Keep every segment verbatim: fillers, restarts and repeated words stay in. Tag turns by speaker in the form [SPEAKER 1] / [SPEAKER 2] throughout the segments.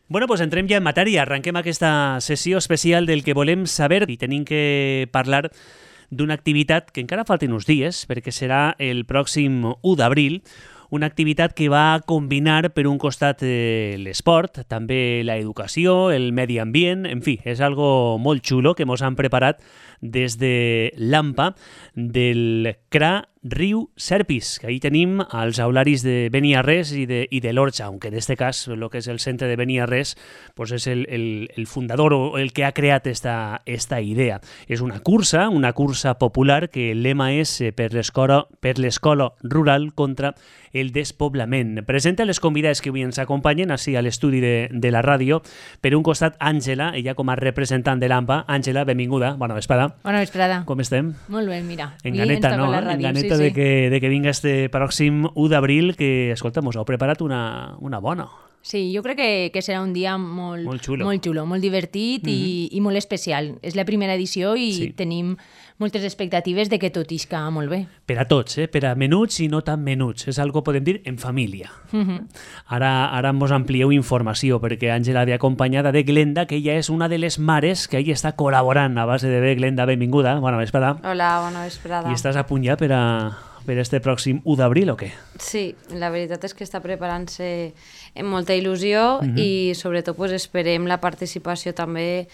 [SPEAKER 1] Bueno, doncs entrem ja en matèria. Arrenquem aquesta sessió especial del que volem saber i tenim que parlar d'una activitat que encara falten uns dies, perquè serà el pròxim u d'abril, una activitat que va combinar per un costat eh, l'esport, també l'educació, el medi ambient, en fi, és algo molt xulo que mos han preparat des de l'AMPA del C R A Riu Serpis, que ahí tenim els aularis de Beniarrés i de, i de l'Orxa, aunque en este cas el que és el centre de Beniarrés pues és el, el, el fundador o el que ha creat esta, esta idea. És una cursa, una cursa popular que el lema és eh, per l'escola per l'escola rural contra el despoblament. Presenta les convidades que avui ens acompanyen així a l'estudi de, de la ràdio. Per un costat, Àngela, ella com a representant de l'AMPA. Àngela, benvinguda, bona vesprada.
[SPEAKER 2] Bona vesprada.
[SPEAKER 1] Com estem?
[SPEAKER 2] Molt bé, mira.
[SPEAKER 1] En ganeta, no?
[SPEAKER 2] Ràdio,
[SPEAKER 1] En ganeta
[SPEAKER 2] sí,
[SPEAKER 1] de,
[SPEAKER 2] sí.
[SPEAKER 1] que, de que vinga este pròxim u d'abril, que, escolta, mos heu preparat una, una bona.
[SPEAKER 2] Sí, jo crec que, que serà un dia molt,
[SPEAKER 1] Molt xulo.
[SPEAKER 2] molt, xulo, molt divertit mm -hmm. i, i molt especial. És la primera edició i
[SPEAKER 1] Sí.
[SPEAKER 2] tenim moltes expectatives de que tot isca molt bé.
[SPEAKER 1] Per a tots, eh? Per a menuts i no tan menuts. És algo, podem dir, en família.
[SPEAKER 2] Mm -hmm.
[SPEAKER 1] Ara, ara mos amplieu informació, perquè Àngela ve acompanyada de Glenda, que ella és una de les mares que ahí està col·laborant a base de bé. Glenda, benvinguda, bona vesprada.
[SPEAKER 3] Hola, bona vesprada.
[SPEAKER 1] I estàs a punt ja per a... per este pròxim u d'abril o què?
[SPEAKER 3] Sí, la veritat és que està preparant-se amb molta il·lusió mm -hmm. i sobretot pues, esperem la participació també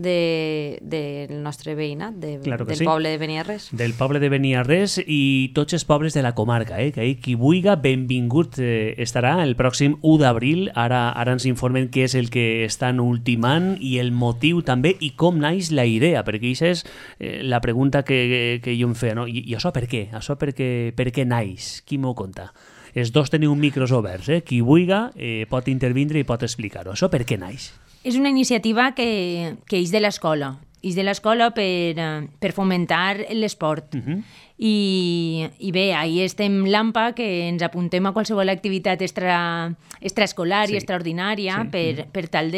[SPEAKER 3] de, del nostre veïnat, de,
[SPEAKER 1] Claro que
[SPEAKER 3] del
[SPEAKER 1] sí.
[SPEAKER 3] poble de Beniarrés.
[SPEAKER 1] Del poble de Beniarrés i tots els pobles de la comarca, eh? Que ahí qui vulga, benvingut eh, estarà el pròxim u d'abril. Ara, ara ens informen què és el que estan ultimant i el motiu també i com naix la idea, perquè això és eh, la pregunta que, que jo em feia, no? I, i això per què? Això per què, per què naix? Qui m'ho conta? Els dos teniu micros oberts, eh? Qui vulga eh, pot intervindre i pot explicar-ho. Això per què naix?
[SPEAKER 2] És una iniciativa que, que és de l'escola. És de l'escola per, eh, per fomentar l'esport.
[SPEAKER 1] Uh -huh.
[SPEAKER 2] I, I bé, ahir estem l'AMPA, que ens apuntem a qualsevol activitat extra, extraescolar
[SPEAKER 1] Sí.
[SPEAKER 2] i extraordinària
[SPEAKER 1] Sí.
[SPEAKER 2] per, per tal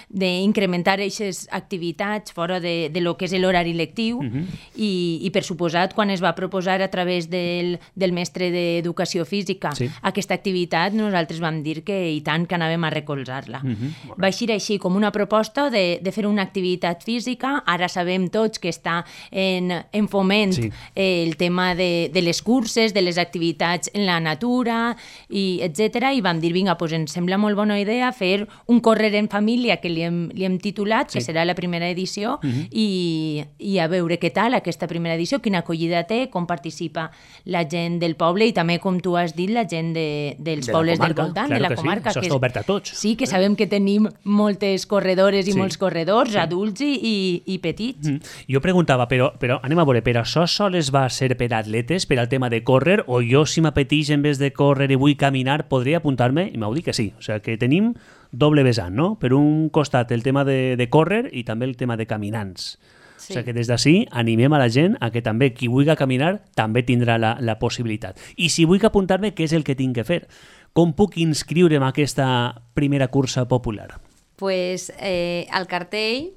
[SPEAKER 2] d'incrementar aquestes activitats fora de, de lo que és l'horari lectiu.
[SPEAKER 1] Uh -huh.
[SPEAKER 2] I, I per suposat, quan es va proposar a través del, del mestre d'Educació Física
[SPEAKER 1] Sí.
[SPEAKER 2] aquesta activitat, nosaltres vam dir que i tant que anàvem a recolzar-la.
[SPEAKER 1] Uh -huh.
[SPEAKER 2] Va eixir així com una proposta de, de fer una activitat física. Ara sabem tots que està en, en foment
[SPEAKER 1] Sí.
[SPEAKER 2] eh, el tema de, de les curses, de les activitats en la natura, i etcètera. I vam dir, vinga, doncs ens sembla molt bona idea fer un córrer en família, que li hem, li hem titulat,
[SPEAKER 1] Sí.
[SPEAKER 2] que serà la primera edició,
[SPEAKER 1] Uh-huh.
[SPEAKER 2] i, i a veure què tal aquesta primera edició, quina acollida té, com participa la gent del poble i també, com tu has dit, la gent de, dels
[SPEAKER 1] De la
[SPEAKER 2] pobles
[SPEAKER 1] comarca,
[SPEAKER 2] del voltant,
[SPEAKER 1] claro
[SPEAKER 2] de la
[SPEAKER 1] que sí.
[SPEAKER 2] comarca.
[SPEAKER 1] Això
[SPEAKER 2] que
[SPEAKER 1] està obert a tots.
[SPEAKER 2] Sí, que sabem que tenim moltes corredores i
[SPEAKER 1] Sí.
[SPEAKER 2] molts corredors,
[SPEAKER 1] Sí.
[SPEAKER 2] adults i, i, i petits.
[SPEAKER 1] Mm. Jo preguntava, però, però anem a veure, però això sols va ser per atletes, per al tema de córrer, o jo si m'apeteix en vez de córrer i vull caminar, podria apuntar-me? I m'ho dit que sí. O sigui, que tenim doble vessant, no? Per un costat el tema de, de córrer i també el tema de caminants.
[SPEAKER 3] Sí.
[SPEAKER 1] O sigui que des d'ací animem a la gent a que també qui vulgui caminar també tindrà la, la possibilitat. I si vull apuntar-me, què és el que tinc que fer? Com puc inscriure'm a aquesta primera cursa popular?
[SPEAKER 3] Pues, eh, al cartell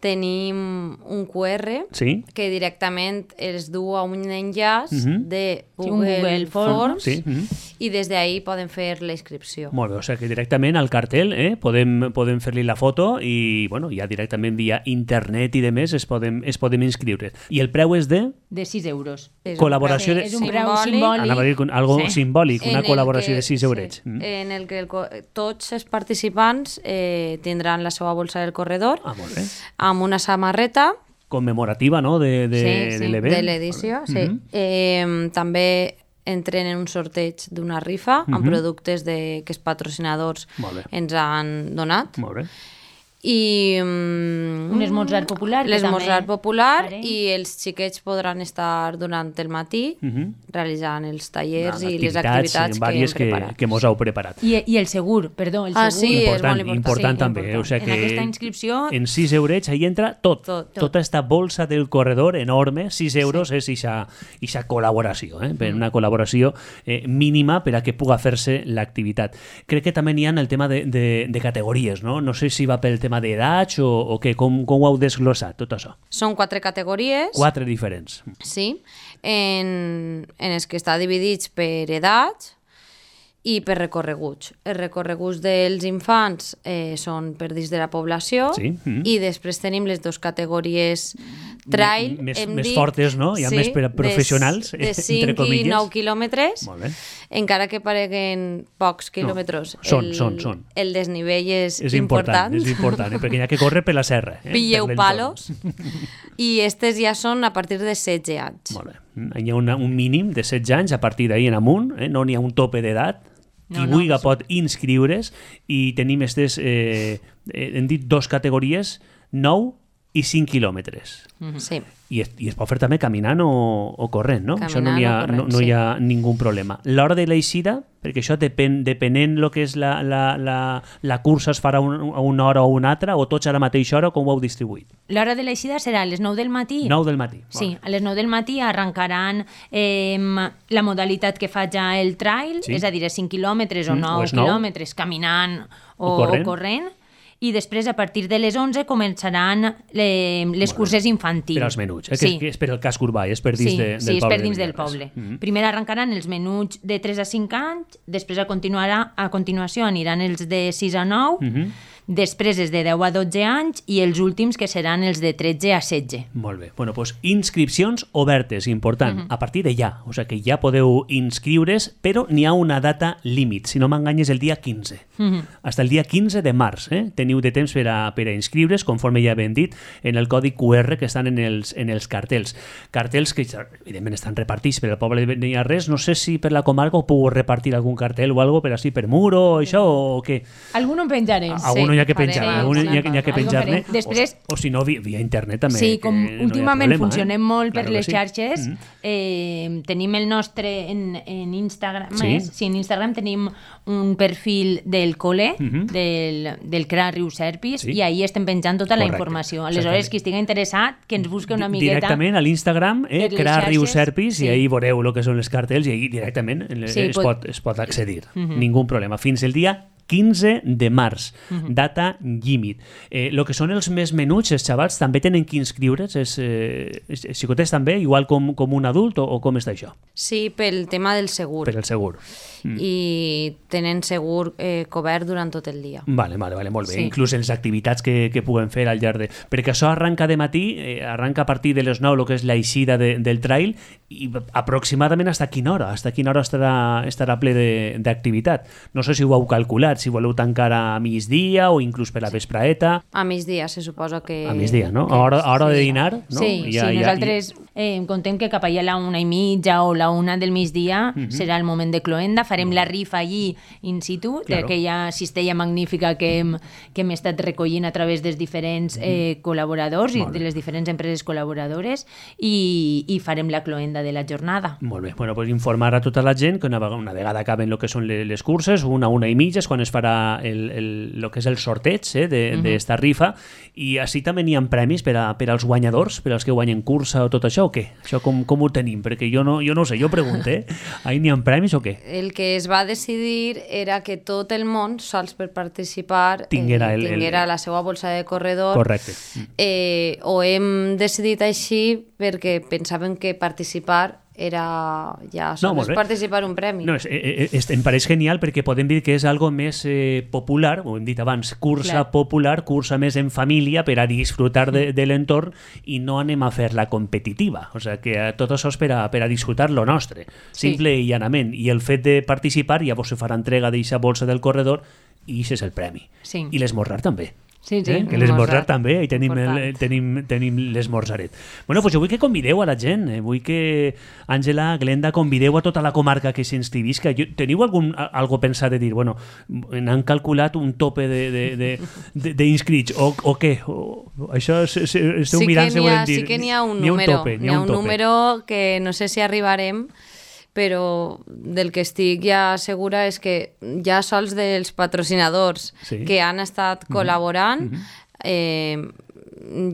[SPEAKER 3] tenim un cu erre
[SPEAKER 1] Sí?
[SPEAKER 3] que directament es du a un enllaç
[SPEAKER 1] Mhm.
[SPEAKER 3] de
[SPEAKER 2] Sí, un
[SPEAKER 3] Google,
[SPEAKER 2] Google Forms.
[SPEAKER 3] Forms
[SPEAKER 1] Sí. Mhm.
[SPEAKER 3] i des d'ahí poden fer la inscripció.
[SPEAKER 1] Molt bé, o sigui que directament al cartell eh, podem, podem fer-li la foto i bueno, ja directament via internet i demés es podem, es podem inscriure. I el preu és de
[SPEAKER 2] De sis euros.
[SPEAKER 3] És un
[SPEAKER 1] col·laboració
[SPEAKER 3] preu
[SPEAKER 1] de...
[SPEAKER 2] És un preu
[SPEAKER 3] simbòlic.
[SPEAKER 2] simbòlic.
[SPEAKER 1] Anava a dir con- algo
[SPEAKER 2] Sí.
[SPEAKER 1] simbòlic,
[SPEAKER 3] En
[SPEAKER 1] una
[SPEAKER 3] el
[SPEAKER 1] col·laboració
[SPEAKER 3] que-
[SPEAKER 1] de sis eurets.
[SPEAKER 3] sí,
[SPEAKER 1] Mm.
[SPEAKER 3] en el que el, co- tots els participants eh, tindran la seva bolsa del corredor
[SPEAKER 1] Ah, molt bé.
[SPEAKER 3] amb una samarreta
[SPEAKER 1] Commemorativa, no?, de, de,
[SPEAKER 2] Sí, sí,
[SPEAKER 1] de l'event.
[SPEAKER 3] de l'edició. Sí.
[SPEAKER 1] Mhm.
[SPEAKER 3] eh, també entren en un sorteig d'una rifa amb
[SPEAKER 1] Mhm.
[SPEAKER 3] productes de, que els patrocinadors
[SPEAKER 1] Molt bé.
[SPEAKER 3] ens han donat.
[SPEAKER 1] Molt bé.
[SPEAKER 3] I mm,
[SPEAKER 2] Un esmorzar popular, que
[SPEAKER 3] l'esmorzar
[SPEAKER 2] també
[SPEAKER 3] popular
[SPEAKER 2] farem.
[SPEAKER 3] i els xiquets podran estar durant el matí
[SPEAKER 1] Mhm.
[SPEAKER 3] realitzant els tallers
[SPEAKER 1] No,
[SPEAKER 3] i les activitats que hem
[SPEAKER 1] vàries que,
[SPEAKER 3] preparat.
[SPEAKER 1] que mos heu preparat.
[SPEAKER 2] I, I el segur, perdó, el
[SPEAKER 3] Ah,
[SPEAKER 2] segur.
[SPEAKER 3] sí, és
[SPEAKER 1] important,
[SPEAKER 3] molt important.
[SPEAKER 1] important
[SPEAKER 2] Sí,
[SPEAKER 1] també.
[SPEAKER 2] important.
[SPEAKER 1] O sigui
[SPEAKER 2] En
[SPEAKER 1] que
[SPEAKER 2] aquesta inscripció-
[SPEAKER 1] en sis eurets ahí entra tot.
[SPEAKER 3] Tot.
[SPEAKER 1] Tota esta bolsa del corredor enorme, sis euros, és ixa, ixa col·laboració, eh? Per una col·laboració eh, mínima per a que puga fer-se l'activitat. Crec que també n'hi ha el tema de, de, de categories, no? No sé si va pel tema d'edats o, o què, com, com ho heu desglossat, tot això?
[SPEAKER 3] Són quatre categories.
[SPEAKER 1] Quatre diferents.
[SPEAKER 3] Sí, en, en els que està dividits per edats i per recorreguts. Els recorreguts dels infants eh, són per dins de la població
[SPEAKER 1] sí. mm.
[SPEAKER 3] i després tenim les dues categories trail,
[SPEAKER 1] M més,
[SPEAKER 3] hem
[SPEAKER 1] més
[SPEAKER 3] dit,
[SPEAKER 1] fortes, no? Hi ha
[SPEAKER 3] sí,
[SPEAKER 1] més per a professionals,
[SPEAKER 3] de, de
[SPEAKER 1] entre
[SPEAKER 3] cinc
[SPEAKER 1] comilles.
[SPEAKER 3] I nou quilòmetres,
[SPEAKER 1] Molt bé.
[SPEAKER 3] encara que pareguen pocs quilòmetres.
[SPEAKER 1] No, són,
[SPEAKER 3] el,
[SPEAKER 1] són, són.
[SPEAKER 3] El desnivell és,
[SPEAKER 1] és important. És important, eh? Perquè hi ha que córrer per la serra. Eh?
[SPEAKER 3] Pilleu palos. I estes ja són a partir de setze anys.
[SPEAKER 1] Molt bé. Hi ha una, un mínim de setze anys, a partir d'ahir en amunt, eh? No n'hi ha un tope d'edat. Qui no, vulgui no, pot inscriure's i tenim aquestes, eh, hem dit dos categories, nou i cinc quilòmetres.
[SPEAKER 3] Mm-hmm. Sí.
[SPEAKER 1] I es, I es pot fer també caminant o, o corrent, no?
[SPEAKER 3] Caminant
[SPEAKER 1] això no hi ha,
[SPEAKER 3] corrent,
[SPEAKER 1] no, no hi ha
[SPEAKER 3] sí.
[SPEAKER 1] ningú problema. L'hora de l'eixida, perquè això depèn, depenent el que és la, la, la, la cursa es farà un, a una hora o una altra, o tots a la mateixa hora, com ho heu distribuït?
[SPEAKER 2] L'hora de l'eixida serà a les nou del matí.
[SPEAKER 1] nou del matí.
[SPEAKER 2] Sí, a les nou del matí arrencaran eh, la modalitat que fa ja el trail,
[SPEAKER 1] sí.
[SPEAKER 2] és a dir, cinc quilòmetres o
[SPEAKER 1] mm,
[SPEAKER 2] nou
[SPEAKER 1] o nou.
[SPEAKER 2] quilòmetres caminant o,
[SPEAKER 1] o corrent.
[SPEAKER 2] O corrent. I després, a partir de les onze, començaran le, les curses infantils.
[SPEAKER 1] Per als menuts, eh?
[SPEAKER 2] Sí.
[SPEAKER 1] que, és, que és per el casc urbà, és per dins
[SPEAKER 2] sí,
[SPEAKER 1] de, del
[SPEAKER 2] sí, és
[SPEAKER 1] poble.
[SPEAKER 2] per dins
[SPEAKER 1] de
[SPEAKER 2] del poble.
[SPEAKER 1] Mm-hmm.
[SPEAKER 2] Primer arrencaran els menuts de tres a cinc anys, després a, continuarà, a continuació aniran els de sis a nou,
[SPEAKER 1] mm-hmm.
[SPEAKER 2] després els de deu a dotze anys i els últims que seran els de tretze a setze.
[SPEAKER 1] Molt bé. Bueno, doncs inscripcions obertes, important, mm-hmm. a partir de ja. O sigui que ja podeu inscriure's, però n'hi ha una data límit, si no m'enganyes, el dia quinze. Mm-hmm. Hasta el dia quinze de març. Eh? Teniu de temps per a, per a inscriure's, conforme ja hem dit, en el codi Q R que estan en els, en els cartells. Cartells que, evidentment, estan repartits per al poble de Beniarrés. No sé si per la comarca ho puc repartir algun cartell o algo per així per mur o això, o què?
[SPEAKER 2] Alguno en penjarem.
[SPEAKER 1] Alguno
[SPEAKER 3] sí,
[SPEAKER 1] hi ha que penjar,
[SPEAKER 3] farem,
[SPEAKER 1] alguno
[SPEAKER 3] sí,
[SPEAKER 1] hi ha, hi ha que penjar-ne.
[SPEAKER 2] Després,
[SPEAKER 1] o, o si no, via, via internet també.
[SPEAKER 2] Sí, com
[SPEAKER 1] no
[SPEAKER 2] últimament
[SPEAKER 1] problema,
[SPEAKER 2] funcionem
[SPEAKER 1] eh?
[SPEAKER 2] molt
[SPEAKER 1] Claro
[SPEAKER 2] per les
[SPEAKER 1] sí.
[SPEAKER 2] xarxes,
[SPEAKER 1] mm.
[SPEAKER 2] eh, tenim el nostre en, en Instagram,
[SPEAKER 1] Sí.
[SPEAKER 2] més, sí, en Instagram tenim un perfil del col·le,
[SPEAKER 1] Mhm.
[SPEAKER 2] del, del C R A Riu Serpis,
[SPEAKER 1] Sí.
[SPEAKER 2] i ahí estem penjant tota
[SPEAKER 1] Correcte,
[SPEAKER 2] la informació.
[SPEAKER 1] exactament.
[SPEAKER 2] Aleshores, qui estigui interessat, que ens busque una miqueta...
[SPEAKER 1] Directament a l'Instagram, eh,
[SPEAKER 2] per les
[SPEAKER 1] C R A Riu
[SPEAKER 2] xarxes,
[SPEAKER 1] Serpis,
[SPEAKER 2] sí.
[SPEAKER 1] i ahí veureu el que són els cartells i ahí directament es,
[SPEAKER 2] Sí,
[SPEAKER 1] es,
[SPEAKER 2] pot...
[SPEAKER 1] pot, es pot accedir. Mm-hmm. Ningú problema. Fins el dia quinze de març, mm-hmm. data límit. Eh, lo que són els més menuts, els xavals, també tenen que inscriure's? Els, eh, els xicotets també, igual com, com un adult, o, o com està això?
[SPEAKER 3] Sí, pel tema del segur.
[SPEAKER 1] Per el segur.
[SPEAKER 3] Mm. I tenen segur eh, cobert durant tot el dia.
[SPEAKER 1] Vale, vale, vale, molt bé.
[SPEAKER 2] Sí.
[SPEAKER 1] Inclús les activitats que, que puguen fer al llarg de... Perquè això arranca de matí, eh, arranca a partir de les nou, el que és l'eixida de, del trail, i aproximadament hasta quina hora? Hasta quina hora estarà, estarà ple d'activitat? No sé si ho heu calculat, si voleu tancar a migdia o inclús per la vespraeta.
[SPEAKER 3] A migdia se suposa que...
[SPEAKER 1] A migdia, no?
[SPEAKER 3] que
[SPEAKER 1] A hora, a hora de
[SPEAKER 3] sí.
[SPEAKER 1] dinar, no?
[SPEAKER 2] Sí,
[SPEAKER 1] Ja-
[SPEAKER 2] sí,
[SPEAKER 1] ja-
[SPEAKER 2] nosaltres eh, contem que cap allà a la una i mitja o la una del migdia
[SPEAKER 1] Mhm.
[SPEAKER 2] serà el moment de cloenda, farem la rifa allí in situ,
[SPEAKER 1] Claro.
[SPEAKER 2] d'aquella cistella magnífica que hem, que hem estat recollint a través dels diferents eh, col·laboradors i
[SPEAKER 1] Molt bé.
[SPEAKER 2] de les diferents empreses col·laboradores i, i farem la cloenda de la jornada.
[SPEAKER 1] Molt bé, bueno, pues informar a tota la gent que una vegada, una vegada acaben el que són les, les curses, una, una i mitja és quan es farà el, el, el que és el sorteig eh, d'esta uh -huh. rifa, i així també n'hi ha premis per, a, per als guanyadors, per als que guanyen cursa o tot això, o què? Això com, com ho tenim? Perquè jo no, jo no ho sé, jo pregunto, eh? Ahí n'hi ha premis o què?
[SPEAKER 3] El que es va decidir era que tot el món, sols per participar,
[SPEAKER 1] Tinguera
[SPEAKER 3] eh,
[SPEAKER 1] el- el-
[SPEAKER 3] tinguera la seva bolsa de corredor.
[SPEAKER 1] Correcte.
[SPEAKER 3] Eh, ho hem decidit així perquè pensàvem que participar era ja
[SPEAKER 1] No, molt
[SPEAKER 3] sols
[SPEAKER 1] bé.
[SPEAKER 3] participar un premi.
[SPEAKER 1] No, és, és, és, em pareix genial perquè podem dir que és algo més eh, popular, ho hem dit abans, cursa
[SPEAKER 2] Clar.
[SPEAKER 1] popular, cursa més en família per a disfrutar de, de l'entorn i no anem a fer la competitiva. O sigui que eh, tot això és per a, per a disfrutar lo nostre,
[SPEAKER 2] Sí.
[SPEAKER 1] simple i llanament. I el fet de participar, llavors se farà entrega d'aquesta bolsa del corredor i això és el premi.
[SPEAKER 2] Sí.
[SPEAKER 1] I l'esmorzar també.
[SPEAKER 2] Sí, sí.
[SPEAKER 1] Eh? Que l'esmorzar
[SPEAKER 3] Esmorzar.
[SPEAKER 1] també, ahí tenim, el,
[SPEAKER 3] Important.
[SPEAKER 1] tenim, tenim l'esmorzaret. Bueno, pues jo vull que convideu a la gent, eh? Vull que Àngela, Glenda, convideu a tota la comarca que s'inscrivisca. Jo- Teniu algun, a- algo pensat de dir, bueno, han calculat un tope d'inscrits, o, o què? O, això se, se, esteu
[SPEAKER 3] sí que
[SPEAKER 1] mirant,
[SPEAKER 3] n'hi ha,
[SPEAKER 1] dir.
[SPEAKER 3] sí que n'hi ha un
[SPEAKER 1] N'hi ha un
[SPEAKER 3] número,
[SPEAKER 1] tope,
[SPEAKER 3] n'hi ha un
[SPEAKER 1] tope.
[SPEAKER 3] número que no sé si arribarem, però del que estic ja segura és que ja sols dels patrocinadors
[SPEAKER 1] Sí.
[SPEAKER 3] que han estat col·laborant, eh,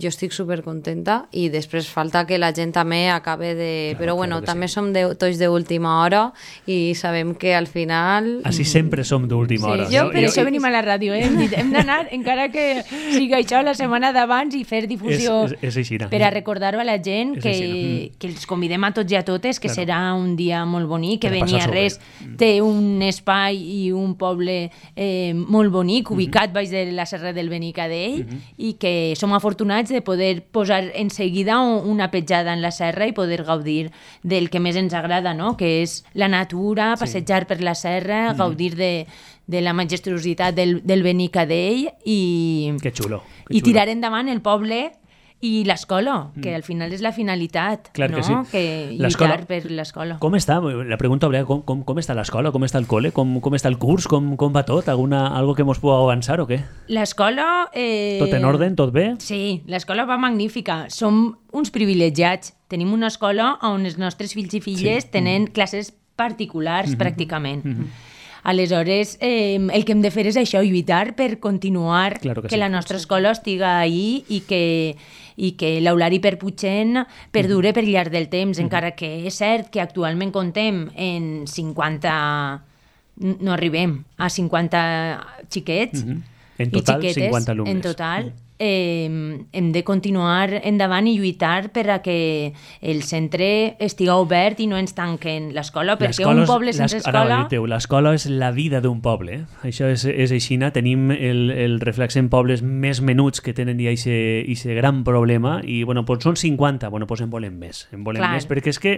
[SPEAKER 3] jo estic supercontenta i després falta que la gent també acabe de...
[SPEAKER 1] Claro,
[SPEAKER 3] Però bueno,
[SPEAKER 1] claro que
[SPEAKER 3] també
[SPEAKER 1] sí.
[SPEAKER 3] som de, tots d'última hora i sabem que al final...
[SPEAKER 1] Així sempre som d'última
[SPEAKER 3] Sí,
[SPEAKER 1] hora.
[SPEAKER 2] Jo, per això venim a la ràdio, eh? Hem dit, hem d'anar, encara que sigui això la setmana d'abans, i fer difusió
[SPEAKER 1] És- és- és així, no?
[SPEAKER 2] per a recordar-ho a la gent
[SPEAKER 1] És
[SPEAKER 2] que,
[SPEAKER 1] així, no?
[SPEAKER 2] que els convidem a tots i a totes, que
[SPEAKER 1] Claro.
[SPEAKER 2] serà un dia molt bonic, que
[SPEAKER 1] Per a passar-s'ho
[SPEAKER 2] Beniarrés
[SPEAKER 1] bé.
[SPEAKER 2] té un espai i un poble eh, molt bonic, ubicat baix de la serra del Benicadell, i que som afortunats de poder posar en seguida un- una petjada en la serra i poder gaudir del que més ens agrada, no? Que és la natura, passejar per la serra, gaudir de, de la majestuositat del, del Benicadell i,
[SPEAKER 1] Que xulo. Que
[SPEAKER 2] i
[SPEAKER 1] xulo.
[SPEAKER 2] tirar endavant el poble i l'escola, que al final és la finalitat,
[SPEAKER 1] Clar
[SPEAKER 2] no?
[SPEAKER 1] que sí.
[SPEAKER 2] Que
[SPEAKER 1] L'escola-
[SPEAKER 2] lluitar per l'escola.
[SPEAKER 1] Com està? La pregunta obligada, com, com, com està l'escola? Com està el col·le? Com, com està el curs? Com, com va tot? Alguna, algo que mos pugui avançar o què?
[SPEAKER 2] L'escola... Eh...
[SPEAKER 1] Tot en ordre? Tot bé?
[SPEAKER 2] Sí, l'escola va magnífica. Som uns privilegiats. Tenim una escola on els nostres fills i filles
[SPEAKER 1] Sí.
[SPEAKER 2] tenen classes particulars, pràcticament. Aleshores, eh, el que hem de fer és això, lluitar per continuar
[SPEAKER 1] Claro que
[SPEAKER 2] que
[SPEAKER 1] sí.
[SPEAKER 2] la nostra escola estiga ahí i que, i que l'Eulari Perputxent perdure per llarg del temps, encara que és cert que actualment contem en cinquanta... No arribem a cinquanta xiquets
[SPEAKER 1] En
[SPEAKER 2] i
[SPEAKER 1] total,
[SPEAKER 2] xiquetes.
[SPEAKER 1] cinquanta alumnes.
[SPEAKER 2] En total, eh, hem de continuar endavant i lluitar per a que el centre estiga obert i no ens tanquen l'escola, perquè
[SPEAKER 1] L'escola
[SPEAKER 2] un
[SPEAKER 1] és-
[SPEAKER 2] poble sense
[SPEAKER 1] l'es- ara,
[SPEAKER 2] escola...
[SPEAKER 1] Teu, l'escola és la vida d'un poble. Eh? Això és, és aixina. Tenim el, el reflex en pobles més menuts que tenen ja aquest gran problema i, bueno, doncs són cinquanta. Bueno, doncs en volem més. En volem
[SPEAKER 2] Clar.
[SPEAKER 1] més perquè és que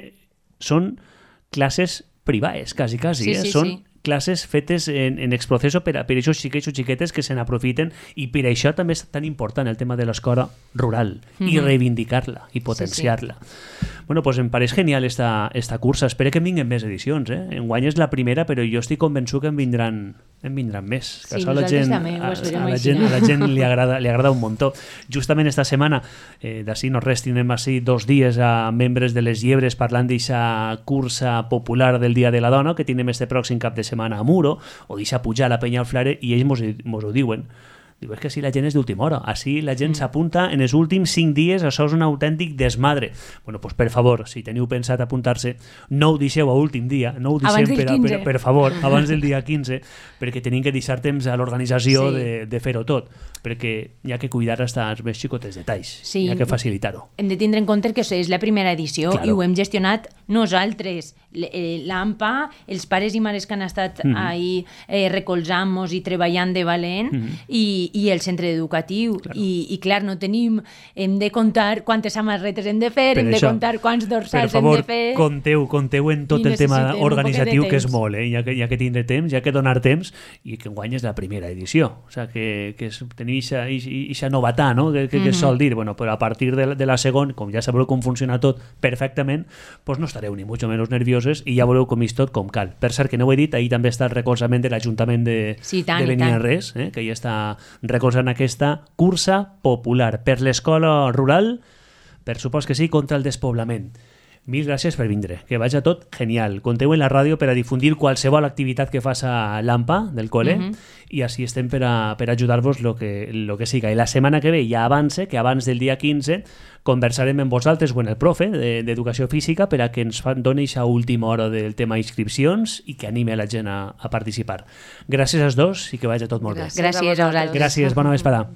[SPEAKER 1] són classes privades, quasi, quasi.
[SPEAKER 2] Sí,
[SPEAKER 1] eh?
[SPEAKER 2] sí,
[SPEAKER 1] són
[SPEAKER 2] sí.
[SPEAKER 1] classes fetes en, en exproceso per, a, per aquests xiquets o xiquetes que se n'aprofiten i per això també és tan important el tema de l'escola rural i reivindicar-la i potenciar-la. Bueno, pues em pareix genial esta, esta cursa. Espero que en vinguen més edicions. Eh? Enguany és la primera, però jo estic convençut que en vindran, en vindran més. Que
[SPEAKER 2] Sí,
[SPEAKER 1] això a la
[SPEAKER 2] nosaltres
[SPEAKER 1] gent,
[SPEAKER 2] també ho
[SPEAKER 1] a,
[SPEAKER 2] esperem
[SPEAKER 1] a la
[SPEAKER 2] així.
[SPEAKER 1] gent, a la gent li agrada, li agrada un muntó. Justament esta setmana, eh, d'ací no res, tindrem així dos dies a membres de les Llebres parlant d'aquesta cursa popular del Dia de la Dona que tindrem este pròxim cap de setmana a Muro, o deixa pujar la penya al Flare, i ells mos, mos ho diuen. Diu, és que si la gent és d'última hora. Així la gent s'apunta en els últims cinc dies, això és un autèntic desmadre. Bueno, doncs per favor, si teniu pensat apuntar-se, no ho deixeu a últim dia, no ho deixem
[SPEAKER 2] Abans del
[SPEAKER 1] per, a- per,
[SPEAKER 2] quinze.
[SPEAKER 1] per favor, abans del dia quinze, perquè tenim que deixar temps a l'organització
[SPEAKER 2] Sí.
[SPEAKER 1] de, de fer-ho tot, perquè hi ha que cuidar hasta els més xicotes detalls,
[SPEAKER 2] Sí.
[SPEAKER 1] hi ha que facilitar-ho.
[SPEAKER 2] Hem de tindre en compte que és la primera edició
[SPEAKER 1] Claro.
[SPEAKER 2] i ho hem gestionat nosaltres. L- eh, L'A M P A, els pares i mares que han estat
[SPEAKER 1] Mhm.
[SPEAKER 2] ahí eh, recolzant-nos i treballant de valent, i, i el centre educatiu.
[SPEAKER 1] Claro.
[SPEAKER 2] I, I clar, no tenim... Hem de comptar quantes samarretes hem de fer,
[SPEAKER 1] Per
[SPEAKER 2] hem de
[SPEAKER 1] això,
[SPEAKER 2] comptar quants
[SPEAKER 1] Per
[SPEAKER 2] dorsals
[SPEAKER 1] favor,
[SPEAKER 2] hem de fer...
[SPEAKER 1] compteu, compteu en tot
[SPEAKER 2] I
[SPEAKER 1] el tema
[SPEAKER 2] necessitem un
[SPEAKER 1] organitzatiu,
[SPEAKER 2] poquet de
[SPEAKER 1] que és
[SPEAKER 2] temps.
[SPEAKER 1] molt, eh? hi, ha que, hi ha que tindre temps, hi ha que donar temps, i que enguany és la primera edició. O sigui, que, que és, tenir aquesta novetat, no? que, que, que es sol dir. Bueno, però a partir de, la- de la segona, com ja sabreu com funciona tot perfectament, pues no estareu ni mucho menos nervioses i ja veureu com és tot com cal. Per cert, que no ho he dit, ahir també està el recolzament de l'Ajuntament de,
[SPEAKER 2] Sí, tant,
[SPEAKER 1] de
[SPEAKER 2] i tant.
[SPEAKER 1] Beniarrés, eh? que ja està recolzant aquesta cursa popular per l'escola rural, per supost que sí, contra el despoblament. Mil gràcies per vindre, que vagi tot genial. Conteu en la ràdio per a difundir qualsevol activitat que fas a l'A M P A del col·le,
[SPEAKER 2] Mhm.
[SPEAKER 1] i així estem per a, per a ajudar-vos lo que, lo que siga. I la setmana que ve ja avance, que abans del dia quinze conversarem amb vosaltres o amb el profe de- d'Educació Física per a que ens fan, doni a última hora del tema inscripcions i que anime la gent a, a participar. Gràcies als dos i que vagi tot molt bé.
[SPEAKER 2] Gràcies a vosaltres.
[SPEAKER 1] Gràcies, bona vesprada.